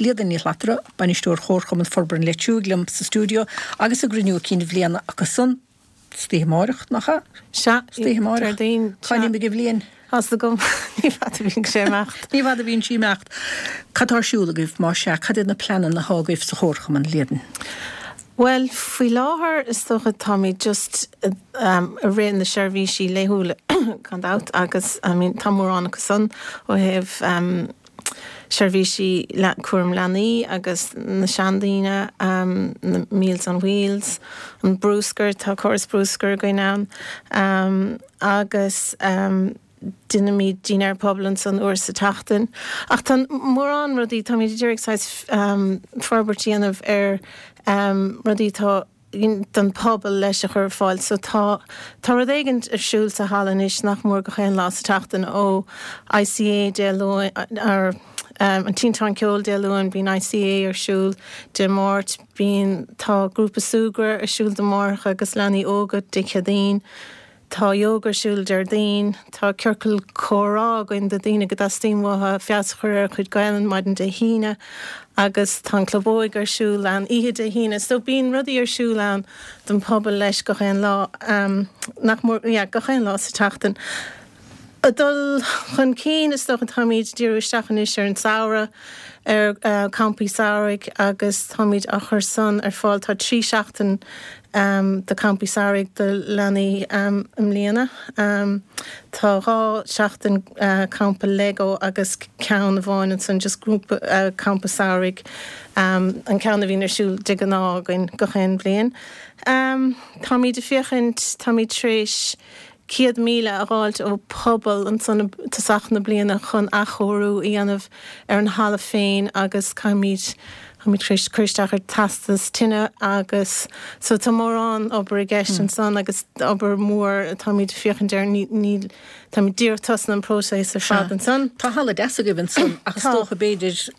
Líadan Ní Shlatara, Bainisteoir Chomharchumann Forbartha an Leitriúigh liom sa stiúideo agus a gcruinniú cinn bhliana acu san istoíche amáireach, nach ea? Sea, Istoíche amáireach. Déardaoin, Cá n-imigh an bhliain? Tá's agam, ní fada a bhíonn sé ag imeacht. Ní fada a bhíonn sí ag imeacht. Cad tá ar siúl agaibh, más ea? Cad iad na pleananna atá agaibh sa Chomharchumann, Líadan? Bhuel, faoi láthair is dócha táimid just i rith na seirbhísí laethúla gan dabht agus I mean tá mórán acu san ó thaobh seirbhísí cúram leanaí agus na seandaoine, na Meals on Wheels, an brúscar, tá córas brúscair againn ann agus déanaimid dinnéar pobail ansan uair sa tseachtain. Ach tá mórán rudaí, táimid ag iarraidh saghas forbairt a dhéanamh ar rudaí atá don pobal leis a chur ar fáil. So tá, tá rud éigin ar siúl sa halla anois nach mór gach aon lá sa tseachtain ó ICA Dé Luain, or an Tinteán Ceoil Dé Luain, bíonn ICA ar siúl Dé Máirt, bíonn, tá grúpa súgradh ar siúl do mháithreacha agus leanaí óga Dé Céadaoin. Tá ióga ar siúl Déardaoin. Tá ciorcal comhrá againn do daoine go dteastaíonn uathu feabhas a chur ar a chuid Gaelainn maidin Dé hAoine agus tá an Club Óige ar siúl ann oíche Dé hAoine. So bíonn rudaí ar siúl ann don pobal leis gach aon lá, nach mór, yeah, gach aon lá sa tseachtain. Ag dul chun cinn, is dócha, táimid ag díriú isteach anois ar an samhradh, ar campaí samhraidh agus táimid á chur san ar fáil. Tá 3 seachtain de campaí samhraidh do leanaí i mbliana. Tá 2 seachtain campa Lego agus ceann amháin ansan just grúpa campa samhraidh, an ceann a bhíonn ar siúl de ghnáth againn gach aon bhliain. Táimid ag féachaint, táimid tar éis 100,000 a dh'fháilt ó pobal ansan i dtosach na bliana chun athchóiriú a dhéanamh ar an halla féin agus caithfimid, táimid tar éis cur isteach ar teastas tine agus so tá mórán obair i gceist ansan agus obair mhór atáimid ag féachaint air, ní, ní, táimid díreach tosnaithe an próiseas ar fad ansan. Tá halla deas agaibh ansan ach is dócha b'fhéidir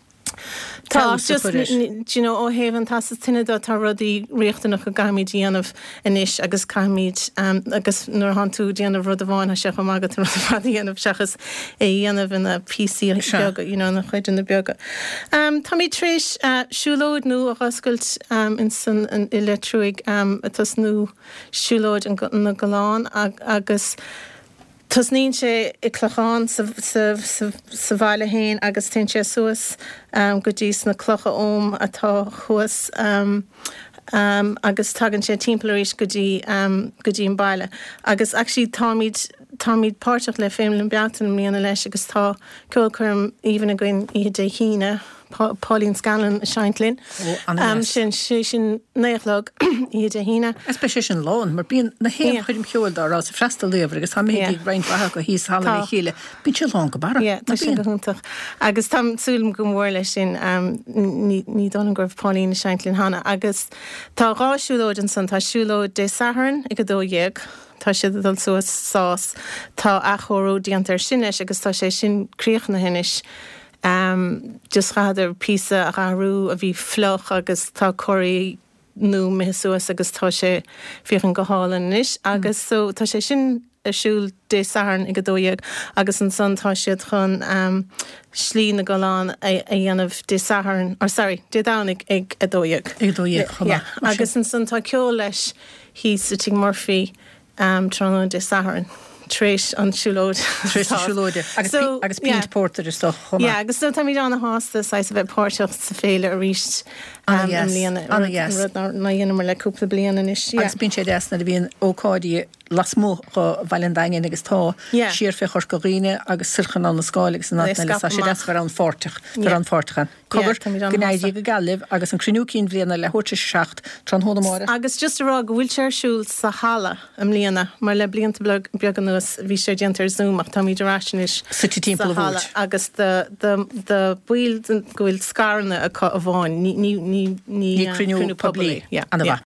Tá, just, do you know, ó thaobh an teastas tine de, tá rudaí riachtanacha go gcaithfimid a dhéanamh anois agus caithfimid, agus nuair atánn tú ag déanamh rud amháin, tá sé chomh maith agat an rud ar fad a dhéanamh seachas é a dhéanamh ina píosaí beaga, you know, ina chuideanna beaga. Táimid tar éis siúlóid nua a dh'oscailt insan, i Leitriúigh, ag tosnú siúlóid na gCoileán agus, Tosnaíonn sé i Clochán sa sa bhaile féin agus téann sé suas go dtí sna Clocha Ogham atá thuas agus tagann sé timpeall arís go dtí go dtí an baile. Agus actually táimid táimid páirteach le Féile na Bealtaine i mbliana leis agus tá ceolchoirm aoibhinn againn oíche Dé hAoine. Pauline Scanlon ag seinnt linn. Ó, an-deas. Sin, sé sin 9 a chlog, oíche Dé hAoine. Is beidh sé sin lán, mar bíonn na haon choirm cheoil dá raibh ag freastal daobhair agus tá mé ag roinnt mhaith acu thíos sa halla le chéile, bíonn sé lán go barra. Yeah, tá sé go hiontach. Agus táim ag súil go mór leis sin. Ní, ní dóigh liom go raibh Pauline ag seinnt linn cheana. Agus tá 2 siúlóid ansan. Tá siúlóid Dé Sathairn ag 12, tá siad ag dul suas Sás. Tá athchóiriú déanta air sin leis agus tá sé sin críochnaithe anois. Just chaitheadar píosa a dh'athrú a bhí fliuch agus tá coirí nua imithe suas agus tá sé féachaint go hálainn anois agus so tá sé sin ar siúl Dé Sathairn ag 12 agus ansan tá siad chun Slí na gCoileán a dhéanamh Dé Sathairn, or sorry, Dé Domhnaigh ag 12. Ag 12 chomh maith. Agus ansan tá ceol leis thíos i Tigh Murphy tráthnóna Dé Sathairn, tar éis an siúlóid. Tar éis na siúlóide. Agus so, agus pínt yeah. pórtair is dócha chomh maith. Yeah, agus so táimid ana-shásta saghas a bheith páirteach sa féile arís i mbliana. Ana-dheas. Rud nár dheineamar le cúpla bliain anois. Yeah. Agus bíonn sé deas nuair a bhíonn ócáidí lasmuigh de Bhaile an Daingin agus tá yeah. siar fé Chorca Dhuibhne agus soir chun Abhainn na Scáil agus in áiteanna eile. Tá sé deas a bheith rannpháirteach, bheith rannpháirteach ann. Cogar, go n-éirí go geal libh agus an cruinniú cinn bhliana leathuair tar éis a 7, tráthnóna amárach. Agus just a rá go bhfuil sé ar siúl sa halla i mbliana, mar le blianta beaga anuas bhí sé déanta ar Zoom ach táimid ar ais anois Suite timpeall sa an halla agus do do do baill go bhfuil scaireanna acu amháin, ní ní ní ní cruinniú poiblí. Yeah. Ana mhaith.